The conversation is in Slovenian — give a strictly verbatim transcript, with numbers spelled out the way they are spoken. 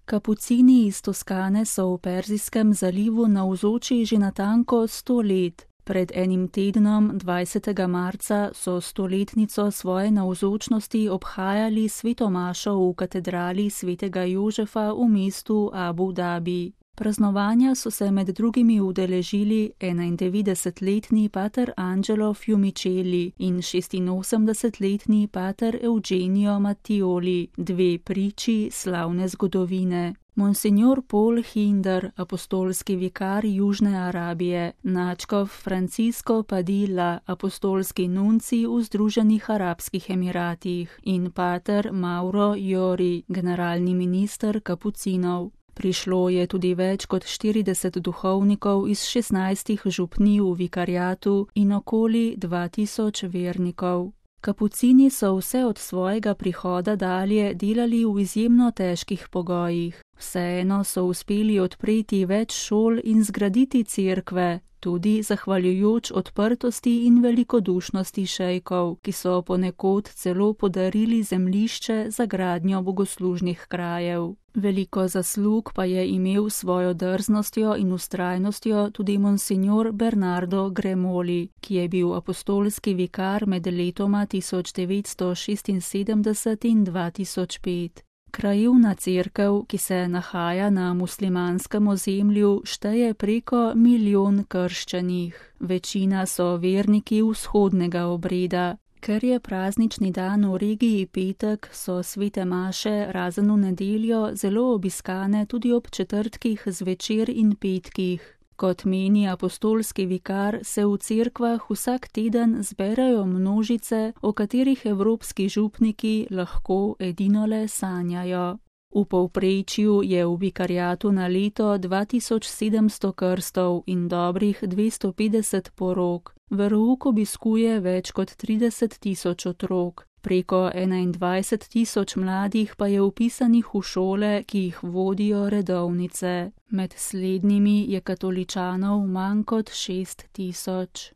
Kapucini iz Toskane so v Perzijskem zalivu navzoči že natanko sto let. Pred enim tednom, dvajsetega marca, so stoletnico svoje navzočnosti obhajali sveto mašo v katedrali svetega Jožefa v mestu Abu Dabi. Praznovanja so se med drugimi udeležili enaindevetdesetletni pater Angelo Fiumiceli in šestinosemdesetletni pater Eugenio Mattioli, dve priči slavne zgodovine. Monsignor Paul Hinder, apostolski vikar Južne Arabije, nadškof Francisco Padilla, apostolski nunci v Združenih arabskih emiratih in pater Mauro Jori, generalni minister kapucinov. Prišlo je tudi več kot štirideset duhovnikov iz šestnajstih župnij v vikariatu in okoli dva tisoč vernikov. Kapucini so vse od svojega prihoda dalje delali v izjemno težkih pogojih. Vseeno so uspeli odpreti več šol in zgraditi cerkve, tudi zahvaljujoč odprtosti in velikodušnosti šejkov, ki so ponekod celo podarili zemljišče za gradnjo bogoslužnih krajev. Veliko zaslug pa je imel svojo drznostjo in vztrajnostjo tudi monsignor Bernardo Gremoli, ki je bil apostolski vikar med letoma tisoč devetsto šestinsedemdeset in dva tisoč pet. Krajevna cerkev, ki se nahaja na muslimanskem ozemlju, šteje preko milijon krščanih. Večina so verniki vzhodnega obreda. Ker je praznični dan v regiji petek, so svete maše razen v nedeljo zelo obiskane tudi ob četrtkih zvečer in petkih. Kot meni apostolski vikar, se v cerkvah vsak teden zberajo množice, o katerih evropski župniki lahko edinole sanjajo. V povprečju je v vikariatu na leto dva tisoč sedemsto krstov in dobrih dvesto petdeset porok. Verouk obiskuje več kot trideset tisoč otrok. Preko enaindvajset tisoč mladih pa je vpisanih v šole, ki jih vodijo redovnice. Med slednjimi je katoličanov manj kot šest tisoč.